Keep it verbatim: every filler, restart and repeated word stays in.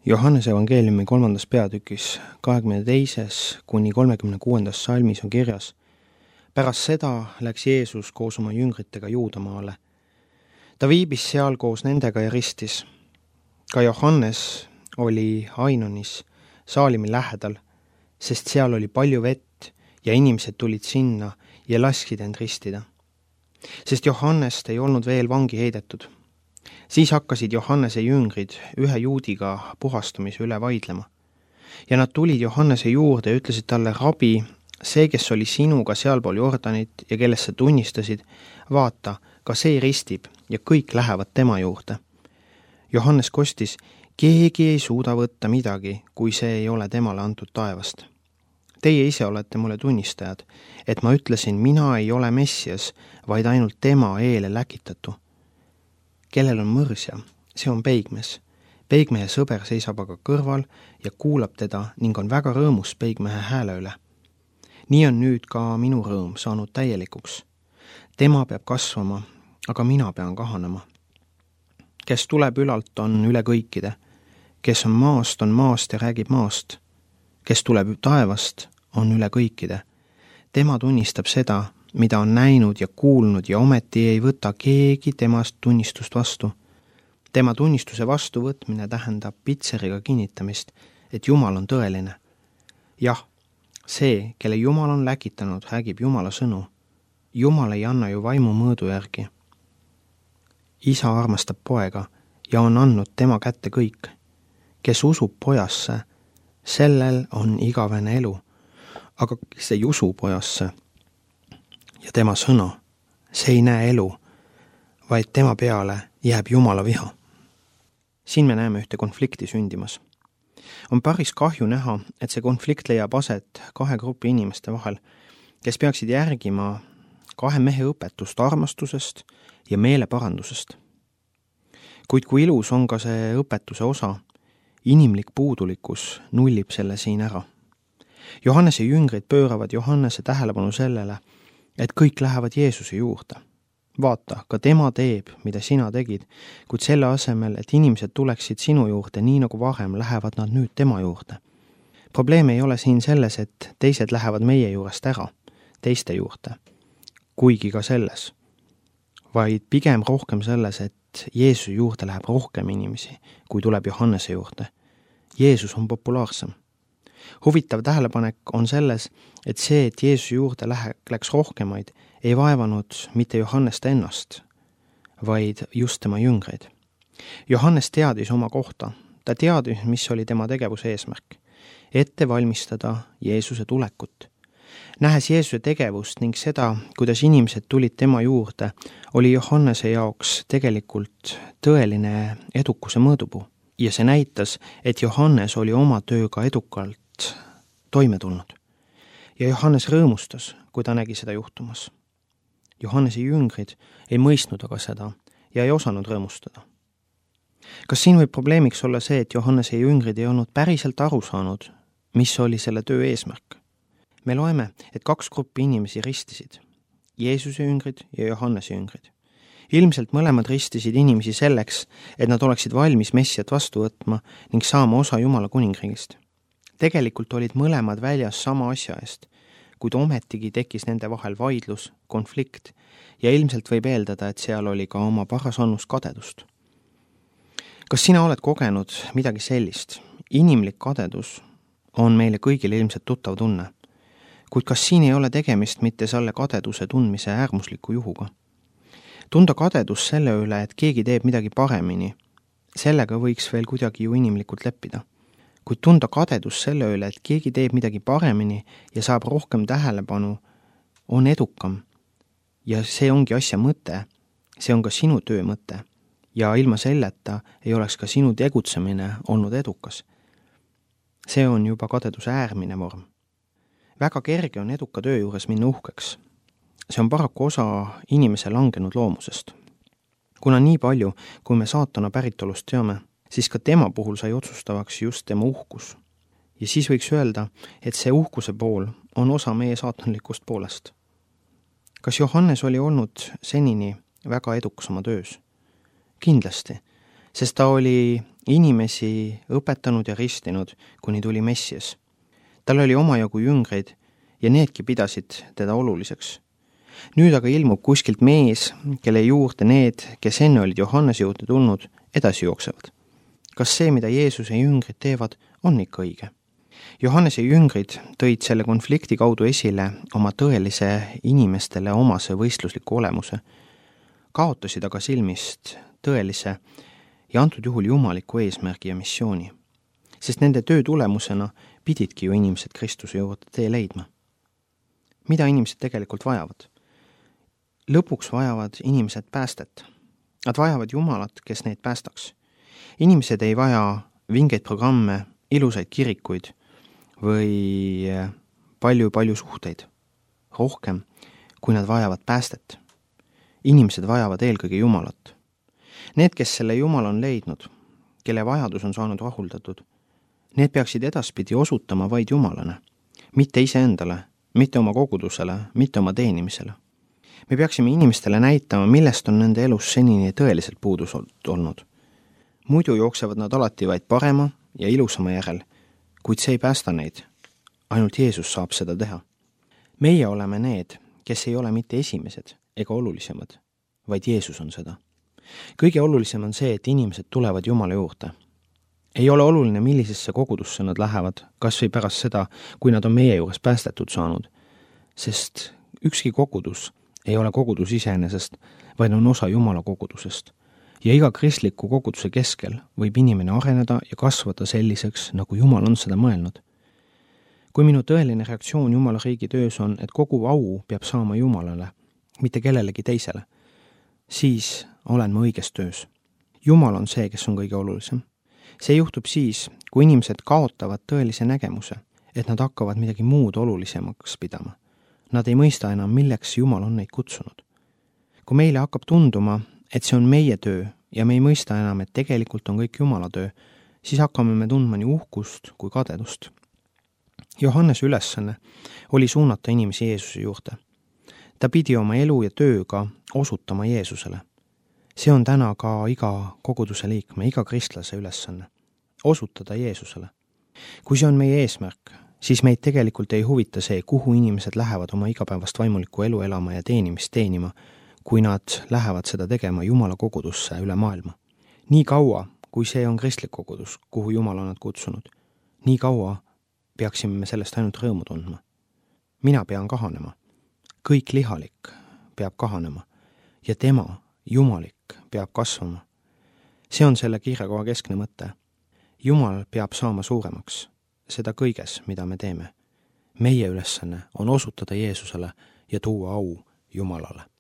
Johannese evangeeliumi kolmandas peatükis kahekümne teises kuni kolmekümne kuuendas salmis on kirjas: pärast seda läks Jeesus koos oma jüngritega Juudamaale. Ta viibis seal koos nendega ja ristis. Ka Johannes oli Ainonis Saalimi lähedal, sest seal oli palju vett ja inimesed tulid sinna ja lasksid end ristida. Sest Johannest ei olnud veel vangi heidetud. Siis hakkasid Johannese jüngrid ühe juudiga puhastamise üle vaidlema. Ja nad tulid Johannese juurde ja ütlesid talle: rabi, see, kes oli sinuga sealpool Jordanit ja kellest sa tunnistasid, vaata, ka see ristib ja kõik lähevad tema juurde. Johannes kostis: keegi ei suuda võtta midagi, kui see ei ole temale antud taevast. Teie ise olete mulle tunnistajad, et ma ütlesin, mina ei ole Messias, vaid ainult tema eele läkitatu. Kellel on mõrsja, see on peigmees. Peigmehe sõber seisab aga kõrval ja kuulab teda ning on väga rõõmus peigmehe hääle üle. Nii on nüüd ka minu rõõm saanud täielikuks. Tema peab kasvama, aga mina pean kahanema. Kes tuleb ülalt, on üle kõikide. Kes on maast, on maast ja räägib maast. Kes tuleb taevast, on üle kõikide. Tema tunnistab seda, mida on näinud ja kuulnud ja ometi ei võta keegi temast tunnistust vastu. Tema tunnistuse vastuvõtmine tähendab pitseriga kinnitamist, et Jumal on tõeline. Jah, see, kelle Jumal on läkitanud, räägib Jumala sõnu. Jumal ei anna ju vaimu mõõdu järgi. Isa armastab poega ja on andnud tema kätte kõik. Kes usub pojasse, sellel on igavene elu, aga kes ei usu pojasse ja tema sõna, see ei näe elu, vaid tema peale jääb Jumala viha. Siin me näeme ühte konflikti sündimas. On päris kahju näha, et see konflikt leiab aset kahe grupi inimeste vahel, kes peaksid järgima kahe mehe õpetust armastusest ja meeleparandusest. Kuid kui ilus on ka see õpetuse osa, inimlik puudulikkus nullib selle siin ära. Johannese jüngrid pööravad Johannese tähelepanu sellele, et kõik lähevad Jeesuse juurde. Vaata, ka tema teeb, mida sina tegid, kuid selle asemel, et inimesed tuleksid sinu juurde nii nagu varem, lähevad nad nüüd tema juurde. Probleem ei ole siin selles, et teised lähevad meie juurest ära, teiste juurde, kuigi ka selles, vaid pigem rohkem selles, et Jeesuse juurde läheb rohkem inimesi, kui tuleb Johannese juurde. Jeesus on populaarsem. Huvitav tähelepanek on selles, et see, et Jeesuse juurde läks rohkemaid, ei vaevanud mitte Johannest ennast, vaid just tema jüngreid. Johannes teadis oma kohta. Ta teadis, mis oli tema tegevuse eesmärk. Ette valmistada Jeesuse tulekut. Nähes Jeesuse tegevust ning seda, kuidas inimesed tulid tema juurde, oli Johannese jaoks tegelikult tõeline edukuse mõõdupuu. Ja see näitas, et Johannes oli oma tööga edukalt toime tulnud. Ja Johannes rõõmustas, kui ta nägi seda juhtumas. Johannese jüngrid ei mõistnud aga seda ja ei osanud rõõmustada. Kas siin võib probleemiks olla see, et Johannese jüngrid ei olnud päriselt aru saanud, mis oli selle töö eesmärk? Me loeme, et kaks gruppi inimesi ristisid, Jeesuse jüngrid ja Johannese jüngrid. Ilmselt mõlemad ristisid inimesi selleks, et nad oleksid valmis Messiat vastu võtma ning saama osa Jumala kuningriigist. Tegelikult olid mõlemad väljas sama asja eest, kuid ometigi tekkis nende vahel vaidlus, konflikt ja ilmselt võib eeldada, et seal oli ka oma paras annus kadedust. Kas sina oled kogenud midagi sellist? Inimlik kadedus on meile kõigile ilmselt tuttav tunne, kuid kas siin ei ole tegemist mitte selle kadeduse tundmise äärmusliku juhuga? Tunda kadedus selle üle, et keegi teeb midagi paremini, sellega võiks veel kuidagi ju inimlikult leppida. Kuid tunda kadedus selle üle, et keegi teeb midagi paremini ja saab rohkem tähelepanu, on edukam. Ja see ongi asja mõte, see on ka sinu töö mõte. Ja ilma selleta ei oleks ka sinu tegutsemine olnud edukas. See on juba kadeduse äärmine vorm. Väga kerge on eduka töö juures minna uhkeks. See on paraku osa inimese langenud loomusest. Kuna nii palju, kui me saatana päritolust teame, siis ka tema puhul sai otsustavaks just tema uhkus. Ja siis võiks öelda, et see uhkuse pool on osa meie saatanlikust poolest. Kas Johannes oli olnud senini väga edukas oma töös? Kindlasti, sest ta oli inimesi õpetanud ja ristinud, kuni tuli Messias. Tal oli omajagu jüngreid ja needki pidasid teda oluliseks. Nüüd aga ilmub kuskilt mees, kelle juurde need, kes enne olid Johannese juurde tulnud, edasi jooksevad. Kas see, mida Jeesuse jüngrid teevad, on ikka õige? Johannese jüngrid tõid selle konflikti kaudu esile oma tõelise inimestele omase võistlusliku olemuse, kaotasid aga silmist tõelise ja antud juhul jumaliku eesmärgi ja missiooni, sest nende töö tulemusena pididki ju inimesed Kristuse juurde tee leidma. Mida inimesed tegelikult vajavad? Lõpuks vajavad inimesed päästet. Nad vajavad Jumalat, kes neid päästaks. Inimesed ei vaja vingeid programme, ilusaid kirikuid või palju-palju suhteid. Rohkem, kui nad vajavad päästet. Inimesed vajavad eelkõige Jumalat. Need, kes selle Jumala on leidnud, kelle vajadus on saanud rahuldatud, need peaksid edaspidi osutama vaid Jumalane, mitte iseendale, mitte oma kogudusele, mitte oma teenimisele. Me peaksime inimestele näitama, millest on nende elus senini tõeliselt puudus olnud. Muidu jooksevad nad alati vaid parema ja ilusama järel, kuid see ei päästa neid. Ainult Jeesus saab seda teha. Meie oleme need, kes ei ole mitte esimesed ega olulisemad, vaid Jeesus on seda. Kõige olulisem on see, et inimesed tulevad Jumala juurde. Ei ole oluline, millisesse kogudusse nad lähevad, kas või pärast seda, kui nad on meie juures päästetud saanud, sest ükski kogudus ei ole kogudus iseenesest, vaid on osa Jumala kogudusest. Ja iga kristliku koguduse keskel võib inimene areneda ja kasvada selliseks, nagu Jumal on seda mõelnud. Kui minu tõeline reaktsioon Jumala riigi töös on, et kogu au peab saama Jumalale, mitte kellelegi teisele, siis olen ma õiges töös. Jumal on see, kes on kõige olulisem. See juhtub siis, kui inimesed kaotavad tõelise nägemuse, et nad hakkavad midagi muud olulisemaks pidama. Nad ei mõista enam, milleks Jumal on neid kutsunud. Kui meile hakkab tunduma, et see on meie töö ja me ei mõista enam, et tegelikult on kõik Jumala töö, siis hakkame me tundma nii uhkust kui kadedust. Johannese ülesanne oli suunata inimesi Jeesuse juurde. Ta pidi oma elu ja tööga osutama Jeesusele. See on täna ka iga koguduse liikme, iga kristlase ülesanne. Osutada Jeesusele. Kui see on meie eesmärk, siis meid tegelikult ei huvita see, kuhu inimesed lähevad oma igapäevast vaimulikku elu elama ja teenimist teenima, kui nad lähevad seda tegema Jumala kogudusse üle maailma. Nii kaua, kui see on kristlik kogudus, kuhu Jumal on nad kutsunud, nii kaua peaksime me sellest ainult rõõmu tundma. Mina pean kahanema. Kõik lihalik peab kahanema ja tema, Jumalik, peab kasvama. See on selle kiirekoha keskne mõte. Jumal peab saama suuremaks, seda kõiges, mida me teeme. Meie ülesanne on osutada Jeesusele ja tuua au Jumalale.